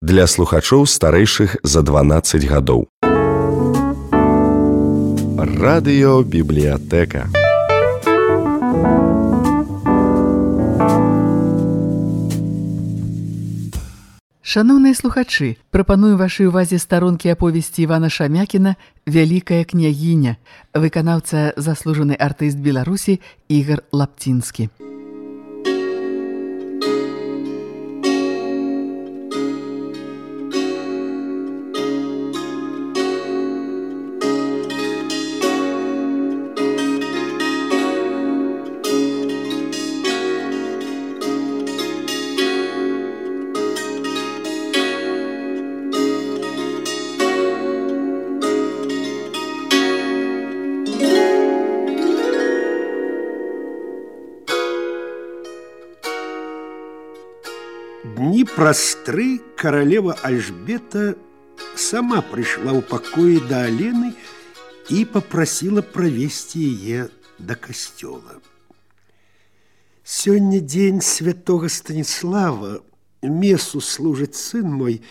Для слухачоў старэйшых за 12 гадоў. Радыёбібліятэка. Шаноўныя слухачы, прапаную вашай увазе старонкі аповесці Івана Шамякіна «Вялікая княгіня», выканаўца заслужаны артыст Беларусі Ігар Лапцінскі. Дні праз 3 каралева Альжбета сама прыйшла ў пакоі да Алены і папрасіла правесці яе да касцёла. Сёння дзень святога Станіслава, месу служыць сын мой,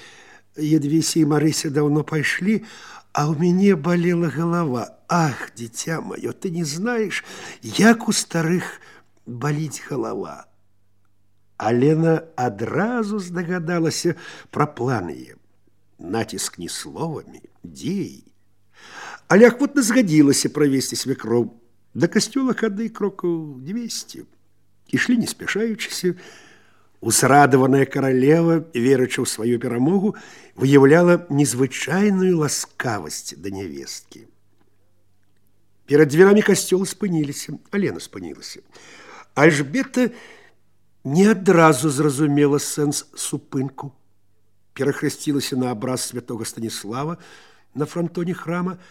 Ядвіся і Марыся даўно пайшлі, а ў мяне балела галава. Ах, дзіця маё, ты не знаеш, як у старых баліць галава. Алена адразу здагадалася пра план яе. Націск не словамі, дзеяй. Але ахвотна згадзілася правесці свякроў. Да касцёла хады крокаў 200. Ішлі не спяшаючыся. Узрадаваная каралева, верачы ў сваю перамогу, выяўляла незвычайную ласкавасць да нявесткі. Перад дзвярамі касцёла спыніліся. Алена спынілася. Альжбета не адразу зразумела сэнс супынку. Перахрысцілася на абраз святога Станіслава на франтоне храма.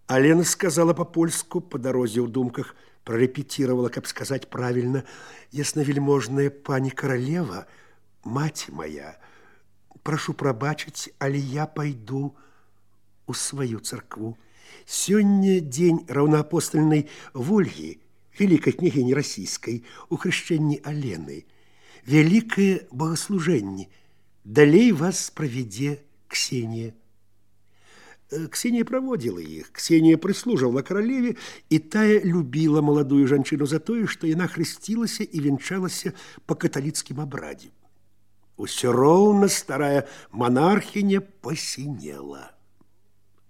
Алена сказала па-польску, па дарозе ў думках прарэпетировала, каб сказаць правільна: «Яснавельможная пані каралева, маці моя, прашу прабачыць, але я пайду у сваю царкву. Сёння дзень раўнаапостальнай Вольгі, великой княгини российской, у хрещенни Алены. Великое богослужение. Далей вас проведе Ксения». Ксения проводила их. Ксения прислуживала королеве, и тая любила молодую жанчыну за тое, што яна хрысцілася і венчалася по каталіцкім абрадзе. Усё роўна старая монархиня посинела.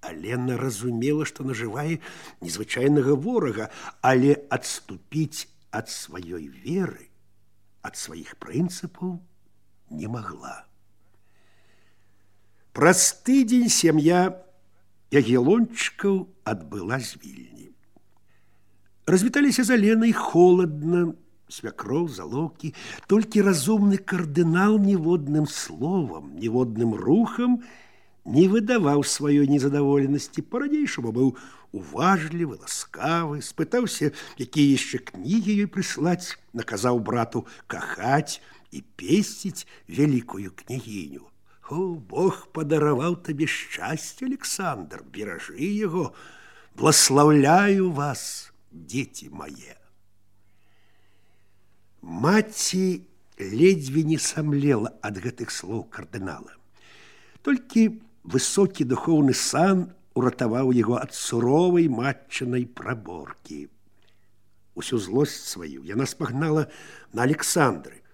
Алена разумела, што нажывае незвычайнага ворага, але адступіць ад сваёй веры, ад сваіх прынцыпаў не магла. Праз тыдзень сям'я Ягелончыкаў адбыла з Вільні. Развіталіся з Аленай холадна, свякроў, залоўкі, толькі разумны кардынал ніводным словам, ніводным рухам не выдаваў сваёй незадаволенасці. Па-ранейшаму быў уважлівы, ласкавы, спытаўся, якія яшчэ кнігі ёй прыслаць, наказаў брату кахаць і песціць вялікую княгіню. «О, Бог падараваў табе шчасце, Александр, беражы яго, бласлаўляю вас, дзеці мае». Маці ледзьве не самлела ад гэтых слоў кардынала. Толькі высокі духоўны сан уратаваў яго ад суровай матчынай праборкі. Усю злосць сваю яна спагнала на Александры.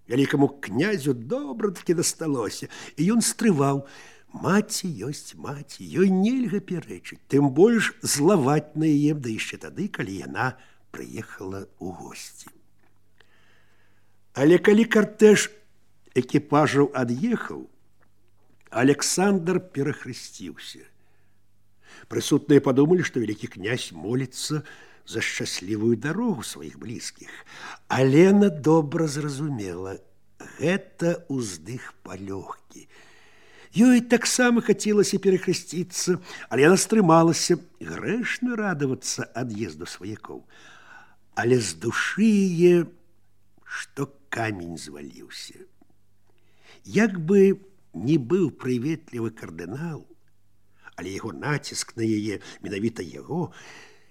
Вялікаму князю добра-такі дасталося, і ён стрываў: маці ёсць маці, ёй нельга пярэчыць, тым больш злаваць на яе, да яшчэ тады, калі яна прыехала ў госці. Але калі картэж экіпажаў ад'ехаў, Александр перахрысціўся. Прысутныя падумалі, што вялікі князь моліцца за шчаслівую дарогу сваіх блізкіх. Алена добра зразумела, гэта ўздых палёгкі. Ёй таксама хацелася перахрысціцца, але яна стрымалася. Грэшна радавацца ад'езду сваякоў. Але з душы яе, што камень зваліўся. Як бы не быў прыветлівы кардынал, але яго націск на яе, менавіта яго,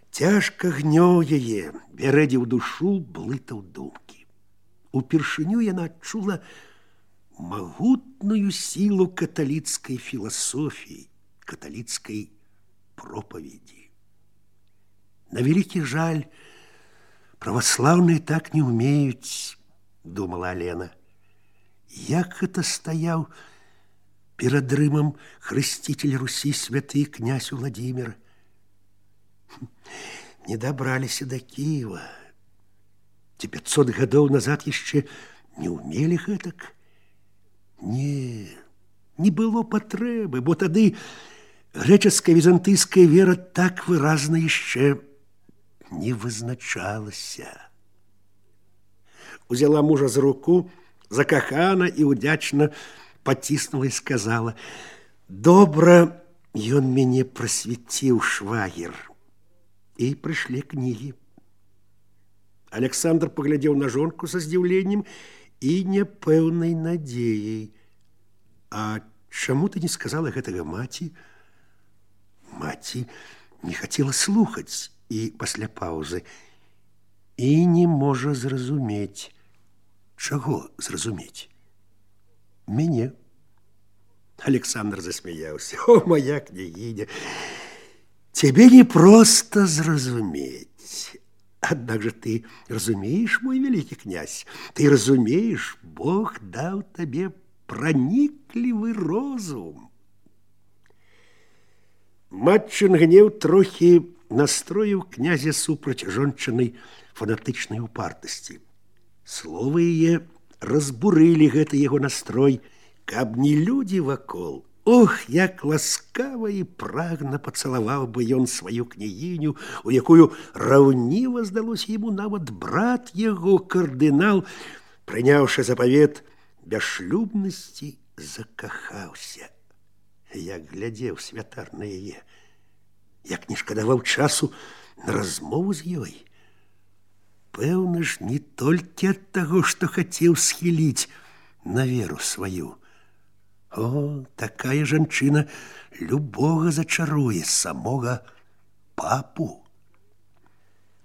цяжка гнёў яе, бярэдзіў душу, блытаў думкі. Упершыню яна адчула могутную силу католицкой философии, католицкой проповеди. На великий жаль, православные так не умеют, думала Алена. Як это стаяў перад Рымам хрысцитель Руси святы князь Владимир. Не добраліся до Киева. Ці 500 гадоў назад яшчэ не умели гэтак. Не было патрэбы, бо тады грэчаская візантыйская вера так выразна яшчэ не вызначалася. Узяла мужа за руку, закахана і удзячна паціснула і сказала: «Добра ён мяне прасвяціў, швагер». І прыйшлі кнігі. Александр паглядзеў на жонку са здзіўленнем і няпэўнай надзеяй. «А чаму ты не сказала гэтага маці?» Маці не хацела слухаць і пасля паўзы і не можа зразумець. Чаго зразумець? Мяне. Александр засмяяўся. «О, моя княгиня, тебе не просто зразумець. Аднак же ты разумеешь, мой великий князь, ты разумеешь, Бог даў табе праніклівы розум». Матчин гнеў трохі настроіў князя супраць жончынай фанатычнай упартасці. Словы яе разбурылі гэты яго настрой, каб не людзі вакол. Ох, як ласкава і прагна пацалаваў бы ён сваю княгіню, у якую раўніва здалося яму нават брат яго, кардынал, прыняўшы запавет бясшлюбнасці, закахаўся. Як глядзеў святар на яе, як не шкадаваў часу на размову з ёй. Пэўна ж, не толькі ад таго, што хацеў схіліць на веру сваю. О, такая жанчына любога зачаруе, самога папу.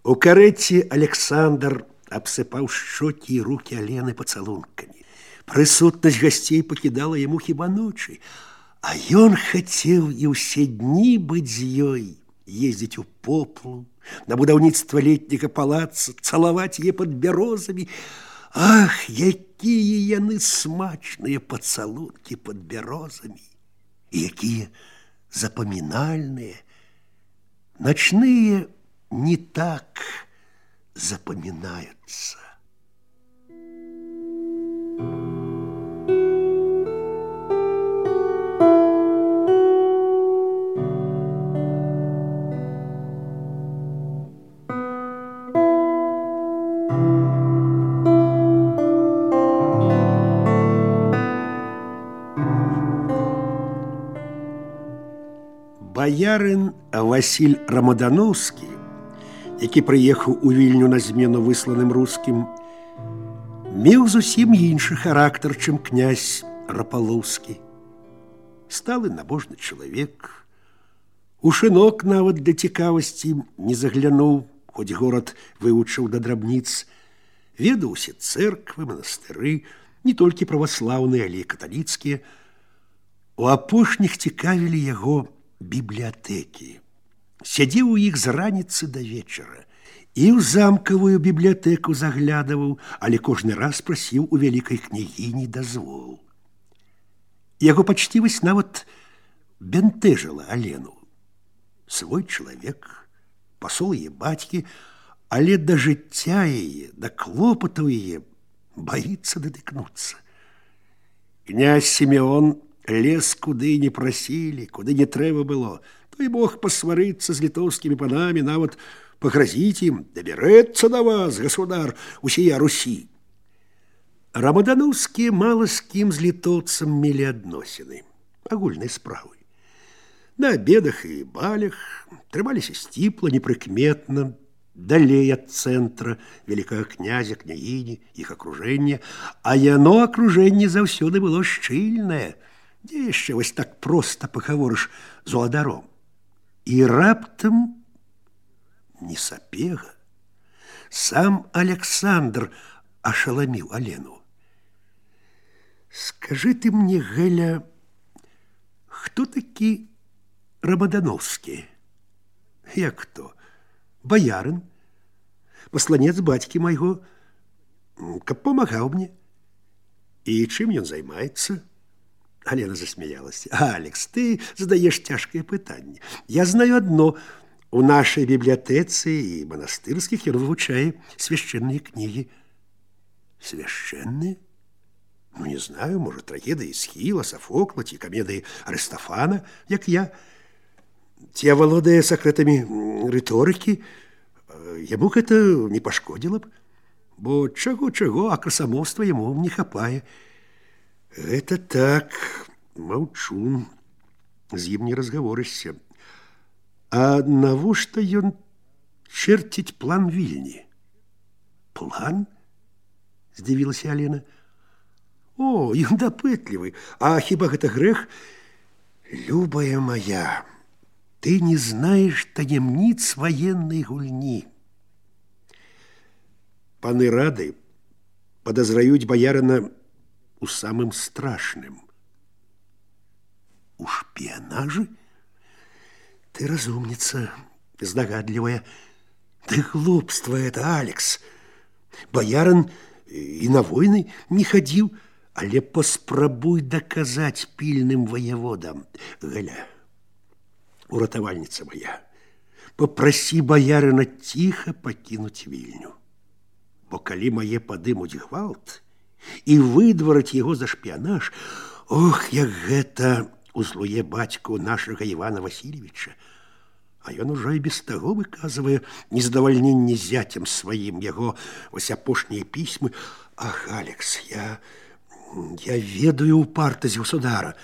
У карэце Александр абсыпаў шчокі і рукі Алены пацалункамі. Прысутнасць гасцей пакідала яму хіба ночы, а ён хацеў і ўсе дні быць з ёй, ездзіць у Поплу, на будаўніцтва летняга палаца, цалаваць яе пад бярозамі. Ах, якія яны смачныя пацалункі пад бярозамі, і якія запамінальныя. Начныя не так запамінаюцца. Баярын Васіль Рамадановскі, які прыехаў у Вільню на змену высланым рускім, меў зусім іншы характар, чым князь Рапалоўскі. Сталы набожны чалавек, у шынок нават для цікавасці не заглянуў, хоць горад вывучыў да драбніц, ведаў усе цэрквы, манастыры, не толькі праваслаўныя, але і каталіцкія. У апошніх цікавілі яго бібліятэкі. Сядзеў у іх з раніцы да вечара і ў замкавую бібліятэку заглядаваў, але кожны раз прасіў у вялікай княгіні дазвол. Яго пачцівасць нават бянтэжыла Алену. Свой чалавек, пасол яе бацькі, але да жыцця яе, да клопатаў яе баіцца датыкнуцца. Князь Сімеон лез куды не прасілі, куды не трэба было. Той мог пасварыцца з літоўскімі панамі, нават пагразіць ім: «Дабярэцца да вас, государ, усія Русі». Рамадановскія мала з кім з літоўцам мелі адносіны, агульнай справы. На абедах і балях трымаліся сціпла, непрыкметна, далей ад цэнтра, вялікага князя, княгіні, іх акружэння, а яно акружэнне заўсёды было шчыльнае. Дзе яшчэ вось так проста пагаворыш з уладаром? І раптам не сапега. Сам Александр ашаламіў Алену. Скажи ты мне, Геля, кто такі Рамадановскі? Як кто? Баярын, пасланец бацькі майго, каб памагаў мне. І чым ён займаецца? Алена засмеялась. Алекс, ты задаешь тяжкое пытанне. Я знаю одно. У нашей библиотеце и монастырских он вывучае священные книги. Священные? Ну, не знаю, может, трагедии Эсхила, Софокла, ці комедии Аристофана, як я. Ці оволодая секретами риторики, ему гэта не пашкодзіла б, бо чаго-чаго, а красамоўства яму не хапае. Это так, маўчу, з ім не разгаворышся. А навошта ён чэрціць план Вільні? План? Здзівілася Алена. О, ён дапытлівы. А хіба гэта грэх? Любая моя, ты не знаешь таемниц военной гульни. Паны рады подозраюць боярина у самым страшным. У шпионаже? Ты разумница, здогадливая. Да глупство это, Алекс. Боярин и на войны не ходил, але паспрабуй доказать пильным воеводам. Галя, уратавальница моя, попроси боярина тихо покинуть Вильню. Бо калі мае падымуць гвалт і выдвараць яго за шпіянаж, ох, як гэта узлуе бацьку нашага Івана Васильевича. А ён ужо і без таго выказвае незадавальненне зяцем сваім, яго вось апошнія пісьмы. Ах, Алекс, я ведаю упартасць государа.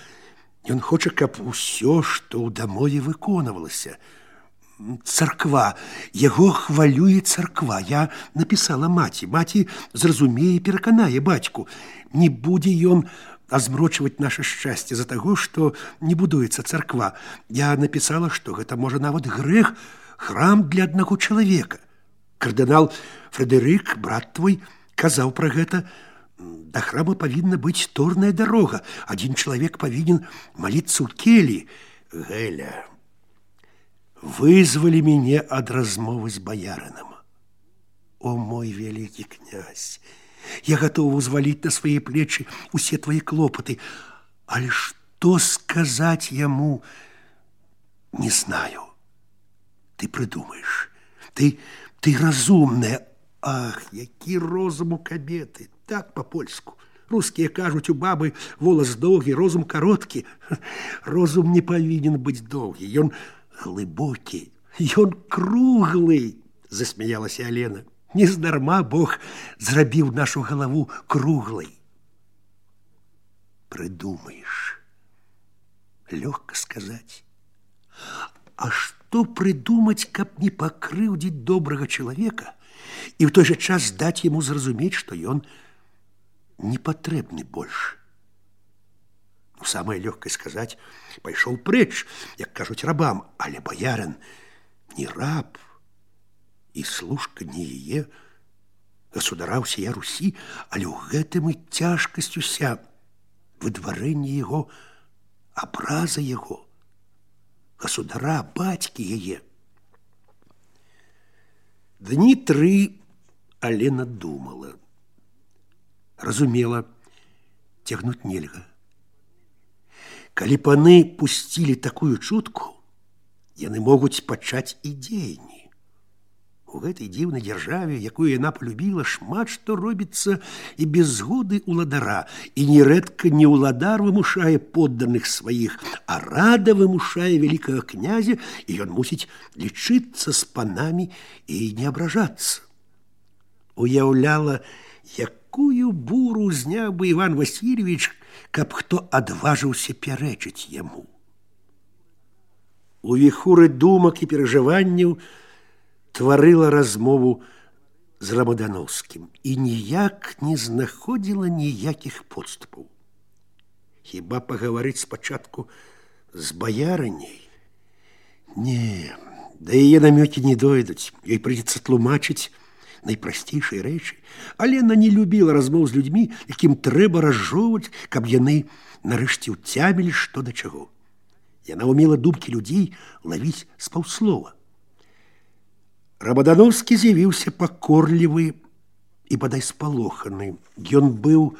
Ён хоча, каб усё, што ў дамове выконвалася. Царква, яго хвалюе царква. Я написала маці. Маці зразумее і пераканае бацьку. Не будзе ён азмрочваць наше шчасце за таго, што не будуецца царква. Я написала, што гэта можа нават грэх, храм для аднаго чалавека. Кардынал Фредерик, брат твой, казаў пра гэта. Да храма павінна быць торная дарога. Адзін чалавек павінен маліцца ў келі. Геля, вызвали меня от размовы с боярином. О, мой великий князь, я готова узвалить на свои плечи все твои клопоты, але что сказать ему, не знаю. Ты придумаешь, ты разумная. Ах, які розум у кабеты, так по-польску. Русские кажуць, у бабы волос доўгі, розум кароткі. Розум не павінен быць доўгі, ён глыбокі, ён круглы, засмяялася Алена. Нездарма Бог зрабіў нашу галаву круглай. Придумаешь. Лёгка сказать. А что придумать, каб не пакрыўдзіць добрага чалавека і в той же час даць ему зразумець, што ён не патрэбны больш? Ну, самое легкое сказать, пайшоў прэч, як кажуць рабам, але боярин не раб, і служка не яе, государа ўсія Русі, але ў гэтым і цяжкасць уся, выдварэнне яго, абраза яго, государа, бацькі яе. Дні 3 Алена думала, разумела, цягнуць нельга. Калі паны пусцілі такую чутку, яны могуць пачаць і дзеянні. У гэтай дзіўнай дзяржаве, якую яна полюбіла, шмат што робіцца і без згоды ўладара, і нерэдка не ўладар вымушае подданых сваіх, а рада вымушае вялікага князя, і ён мусіць лічыцца з панамі і не абражацца. Уяўляла, якую буру зняў бы Іван Васильевич, каб хто адважыўся пярэчыць яму. У віхуры думак і перажыванняў тварыла размову з Рамадановскім і ніяк не знаходзіла ніякіх подступаў. Хіба пагаварыць спачатку з баярыняй? Не, да яе намёкі не дойдуць. Ёй прыйдзецца тлумачыць найпрасцейшыя рэчы. Алена не любіла размоў з людзьмі, якім трэба разжоўваць, каб яны нарэшце ўцямілі, што да чаго. Яна ўмела думкі людзей лавіць з паўслова. Рабадановскі з'явіўся пакорлівы і бадай спалоханы. Ён быў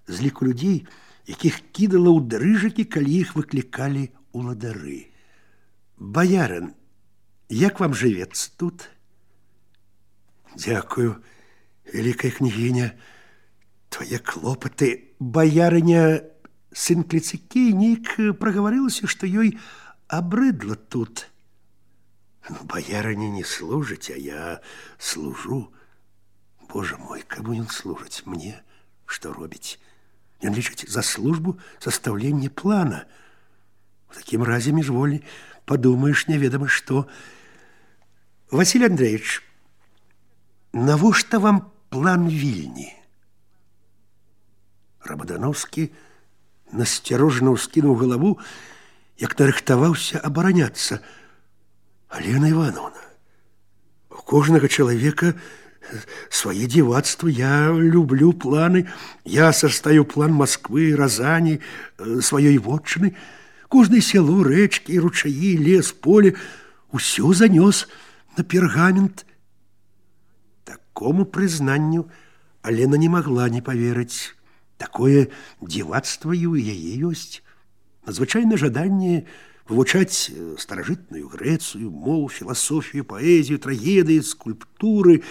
з ліку людзей, якіх кідала ў дрыжакі, калі іх выклікалі уладары. Баярын, як вам жывецца тут? Дзякую, вялікая княгіня. Твае клопаты. Баярыня сын Кліцыкей нейк прагаварылася, што ёй абрыдла тут. Баярыня не служыць, а я служу. Боже мой, каму ён служыць? Мне? Што робіць? Ён лічыць за службу састаўлення плана. В такім разе міжволі падумаеш неведама што. Василь Андреевич, навошта вам план Вільні? Рабадановскі насцярожана ўскінуў галаву, як нарыхтаваўся абараняцца. Алена Ивановна, у кожнага чалавека свае дзівацтва. Я люблю планы. Я састаю план Москвы, Разані, сваёй вотчыны. Кожнае сяло, рэчкі, ручаі, лес, поле усё занёс на пергамент. Такому прызнанню Алена не магла не паверыць. Такое дзівацтва і ў яе ёсць. Надзвычайнае жаданне вывучаць старажытную Грэцыю, мову, філасофію, паэзію, трагедыі, скульптуры.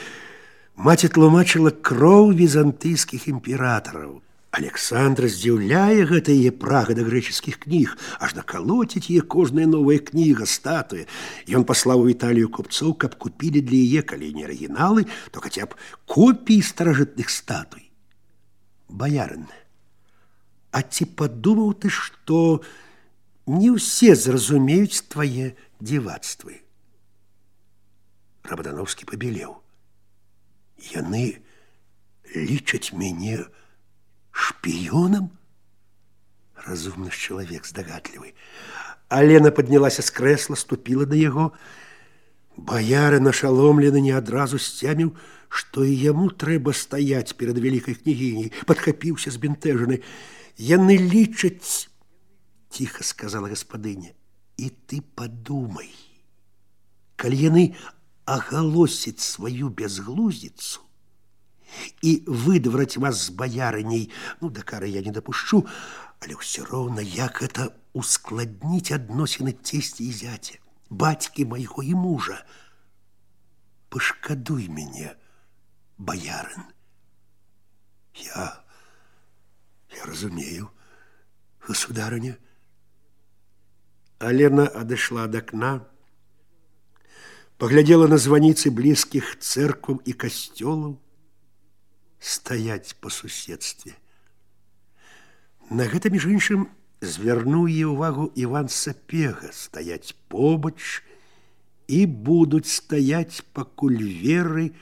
Маці тлумачыла кроў візантыйскіх імператараў. Александра здзіўляе гэта яе прага да грэчаскіх кніг, аж накалоціць яе кожная новая кніга, статуя. Ён паслаў у Італію купцоў, каб купілі для яе, калі не арыгіналы, то хаця б копіі старажытных статуй. Баярын, а ці падумаў ты, што не ўсе зразумеюць твае дзівацтвы? Рабадановскі пабелеў. Яны лічаць мяне шпіёнам? Разумны ж чалавек, здагатлівы. Алена паднялася з крэсла, ступіла на яго. Баярын ашаломлены не адразу сцяміў, што і яму трэба стаяць перад вялікай княгіняй. Падхапіўся збянтэжаны. Яны лічаць, ціха сказала гаспадыня, і ты падумай, калі яны агалосяць сваю бязглуздзіцу і выдвараць вас з баярыняй, да кары я не дапушчу, але ўсё роўна, як гэта ускладніць адносіны цесці і зяця, бацькі майго і мужа. Пашкадуй мяне, баярын. Я разумею, государыня. Алена адышла ад акна, паглядзела на званіцы блізкіх цэркваў і касцёлаў, стаяць па суседстве. На гэта, між іншым, звярнуў яе ўвагу Іван Сапега, стаяць побач і будуць стаяць, пакуль веры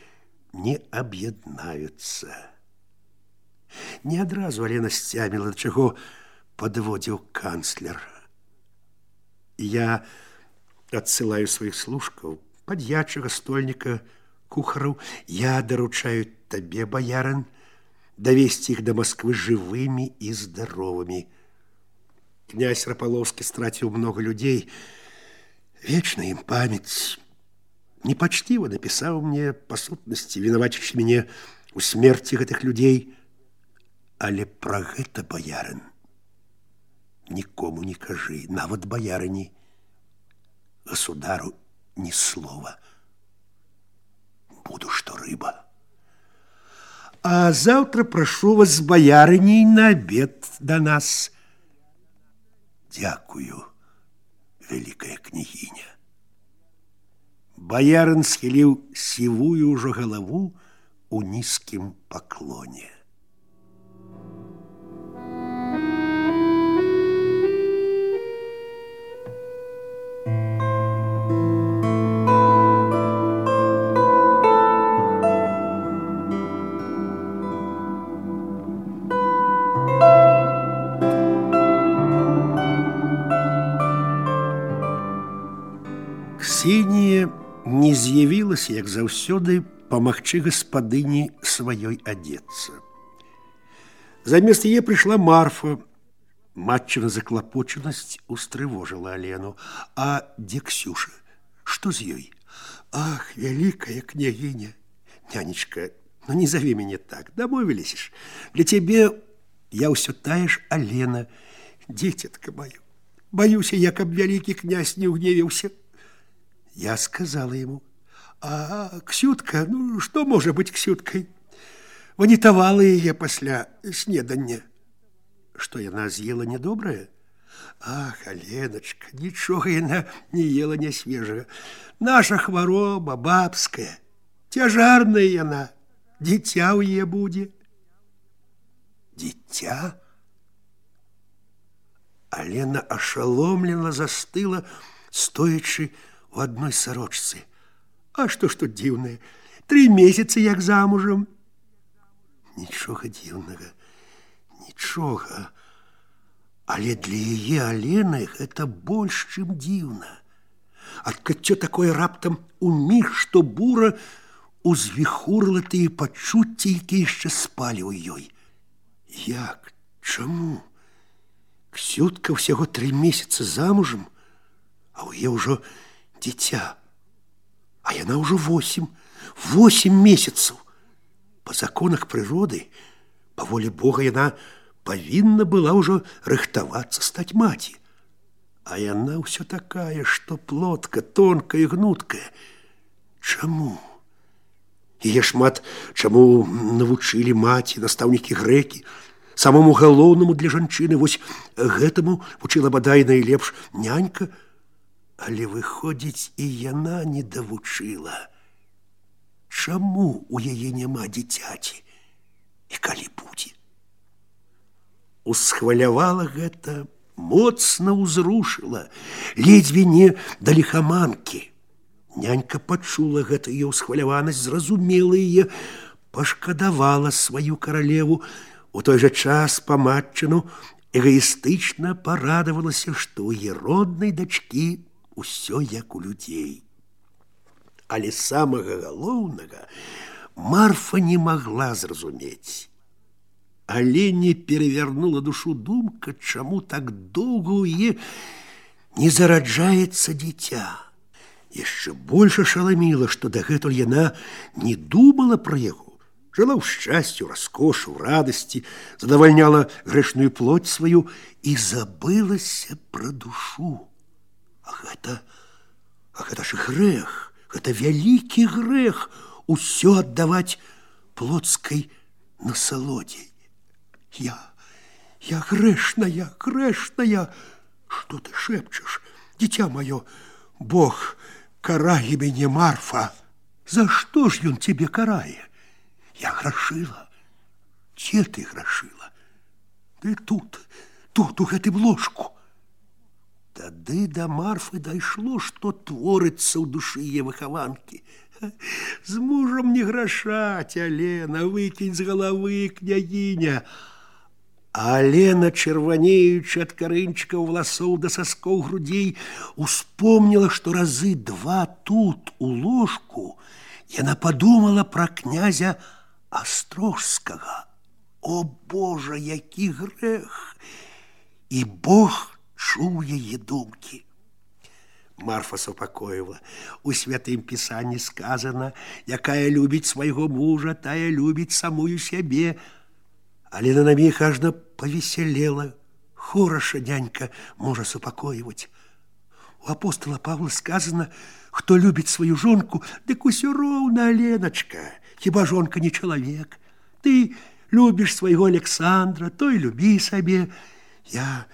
не аб'яднаюцца. Не адразу Алена сцяміла, да чаго падводзіў канцлер. Я адсылаю сваіх служкаў, пад'ячага, стольніка, кухараў. Я даручаю табе, баярын, давесці іх да Москвы жывымі і здаровымі. Князь Рапаловскі страціў многа людзей. Вечна ім памяць. Непачціва напісаў мне, па сутнасці, вінавачачы мяне ў смерці гэтых людзей. Але пра гэта, баярын, нікому не кажы, нават баярыні, государу ні слова. Буду, што рыба. А заўтра прашу вас з баярыняй на абед да нас. Дзякую, вялікая княгіня. Баярын схіліў сівую ўжо галаву у нізкім паклоне. Ксенія не з'явілася, як заўсёды, помагчы гаспадыні сваёй адзецца. Замест яе прыйшла Марфа. Матчына заклапочанасць устрывожыла Алену. А дзе Ксюша? Што з ёй? Ах, вялікая княгиня! Нянечка, ну не зови меня так, домовились ж. Для тебе я ўсё тая ж Алена, дзіцятка маё. Боюся, я, каб вялікі князь не угневился. Я сказала ему: а Ксютка, ну что может быть Ксюткой? Ванітавала яе пасля снедання. Что яна з'ела недобрае? Ах, Аленочка, нічога яна не ела не свежага. Наша хвароба бабская, цяжарная яна, дзіця ў яе будзе. Дзіця? Алена ашаломлена застыла, стоячы у адной сарочцы. А што ж тут дзіўнае? 3 месяцы як замужам. Нічога дзіўнага, нічога. Але для яе Алены гэта больш, чым дзіўна. Адкрыццё такое раптам уміг, што бура узвіхурыла тыя пачуцці, якія яшчэ спалі ў ёй. Як? Чаму? Ксютка ўсяго 3 месяцы замужам, а ў яе ўжо дзіця. А яна ўжо 8 месяцаў. Па законах прыроды, па волі Бога, яна павінна была ўжо рыхтавацца стаць маці. А яна ўсё такая, што плотка, тонкая, гнуткая. Чаму? Яе шмат чаму навучылі маці, настаўнікі грэкі. Самому галоўнаму для жанчыны, вось гэтаму вучыла бадай найлепш нянька. Але выходзіць, і яна не давучыла. Чаму у яе няма дзіцяці? І калі будзе? Усхвалявала гэта, моцна ўзрушыла, ледзьве не да ліхаманкі. Нянька пачула гэта яе ўсхваляванасць, зразумела яе, пашкадавала сваю каралеву. У той жа час па матчыну эгаістычна парадавалася, што ў яе роднай дачкі усё як у людзей. Але самага галоўнага Марфа не магла зразумець. Алене перавярнула душу думка, чаму так доўга ў яе не зараджаецца дзіця. Яшчэ больш ашаламіла, што дагэтуль яна не думала пра яго. Жыла ў шчасці, раскошы, у радасці, задавальняла грэшную плоть сваю і забылася пра душу. А гэта ж грэх, гэта вялікі грэх усё аддаваць плотскай насалодзе. Я грэшная. Што ты шэпчаш, дзіця маё? Бог карае мяне, Марфа. За што ж ён цябе карае? Я грашыла. Дзе ты грашыла? Ты тут, у гэтым ложку. Тады да Марфы дайшло, што творыцца ў душы яе выхаванкі. З мужам не грашаць, Алена, выкінь з галавы, княгіня. Алена, чырванеючы ад карынчыкаў валасоў да саскоў грудзей, успомніла, што разы 2 тут, у ложку, яна падумала пра князя Астрожскага. О, Божа, які грэх! І Бог чуў яе думкі. Марфа супакоіла. У святым пісанні сказана: якая любіць свайго мужа, тая любіць самую сябе. Алена на міг ажно повеселела. Хораша нянька можа супакоіваць. У апостола Павла сказано: хто любіць сваю жонку, дык усё роўна, Аленачка. Хіба жонка не чалавек? Ты любіш свайго Александра, той любі сабе. Я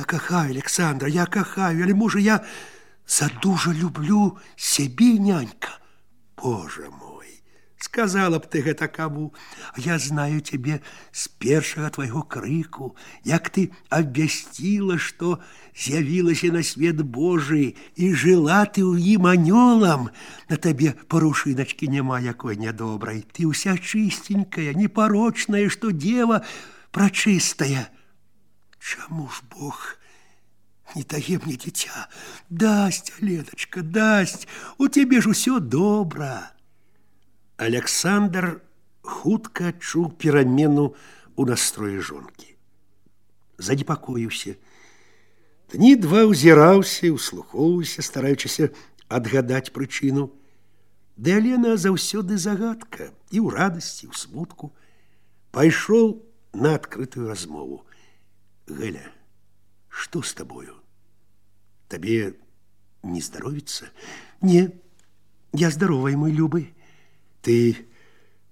кахаю Александра, я кахаю, але, можа, я задужа люблю сябе, нянька. Боже мой, сказала б ты гэта каму. Я знаю цябе з першага твайго крыку, як ты абвясціла, што з'явілася на свет Божий, і жыла ты ў ім анёлам. На табе парушыначкі няма якой нядобрай. Ты ўся чыстенькая, непарочная, што дева прачыстая. Чаму ж Бог не дае мне дзіця? Дасць, Аленачка, дасць. У цябе ж усё добра. Александр хутка адчуў перамену ў настроі жонкі. Занепакоіўся. Дні два ўзіраўся, услухоўваўся, стараючыся адгадаць прычыну. Ды Алена заўсёды загадка, і ў радасці, і ў смутку. Пайшоў на адкрытую размову. Галя, што з табою? Табе не здаровіцца? Не, я здаровая, мой любы. Ты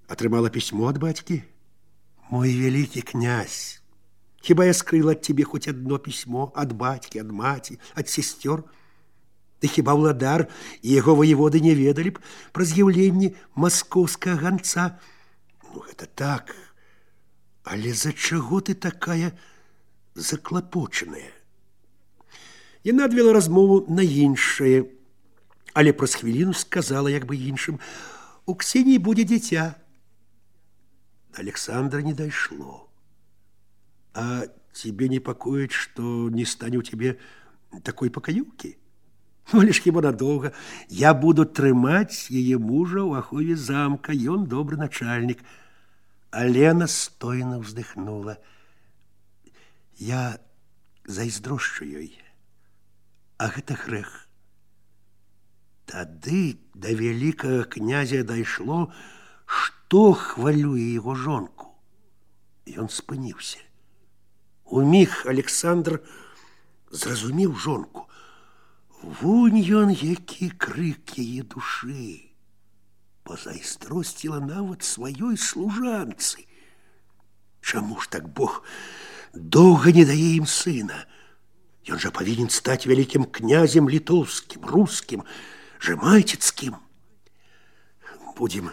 атрымала пісьмо ад бацькі? Мой вялікі князь, хіба я скрыла ад тебе хоць адно пісьмо ад бацькі, ад маці, ад сестёр? Ты хіба ўладар і яго воеводы не ведалі б пра з'яўленне маскоўскага ганца? Ну, гэта так. Але за чаго ты такая заклапочаная? Яна адвела размову на іншае, але праз хвіліну сказала як бы іншым: у Ксении будет дитя. До Александра не дошло. А тебе не покоит, что не станет у тебе такой покоюки? Ну, лишь хіба надолго. Я буду трымаць яе мужа ў ахове замка, ён добры начальник. Алена стойно вздыхнула. Я зайздрошчу ёй, а гэта грэх. Тады до вялікага князя дайшло, што хвалюе яго жонку. Ён спыніўся. Уміг Александр зразумеў жонку. Вунь ён, які крык яе душы. Пазайздросціла нават сваёй служанцы. Чаму ж так Бог доўга не дае ім сына? Ён жа павінен стаць вялікім князем літоўскім, рускім, жемайцецким. Будем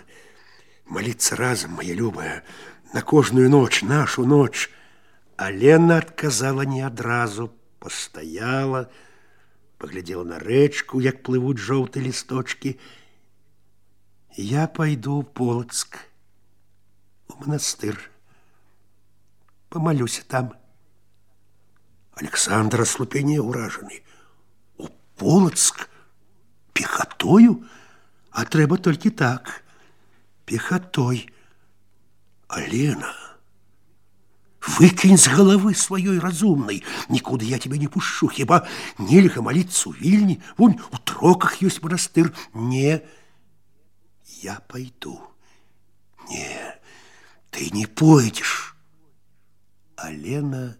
молиться разом, моя любая, на кожную ночь, нашу ночь. Алена отказала не адразу, постояла, поглядела на рэчку, як плывут жоўтыя лісточки. Я пойду в Полоцк, у монастыр, помолюсь там. Александр ослупение ураженный. У Полоцк? Пехотою? А трэба толькі так. Пехотой. Алена, выкинь з головы сваёй разумной. Никуда я тебя не пущу. Хіба нельга молиться у Вильни? Вон у Троках есть монастырь. Не, я пойду. Не, ты не пойдешь. Алена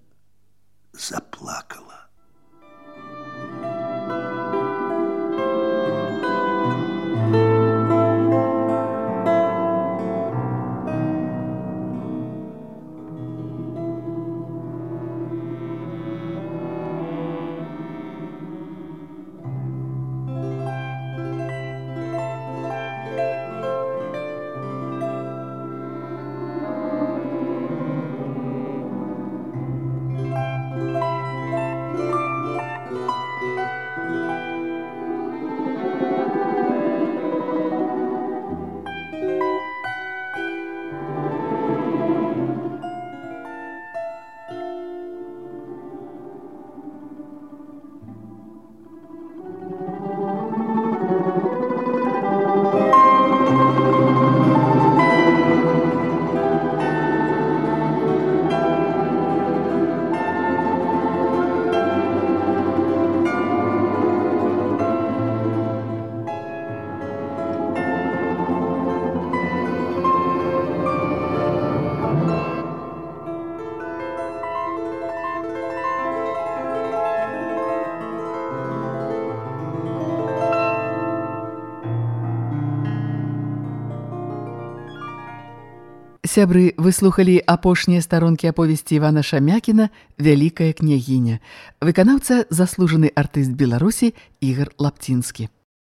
заплакала. Сябры, вы слухалі апошнія старонкі аповесці Івана Шамякіна «Вялікая княгіня». Выканаўца заслужаны артыст Беларусі Ігар Лапцінскі.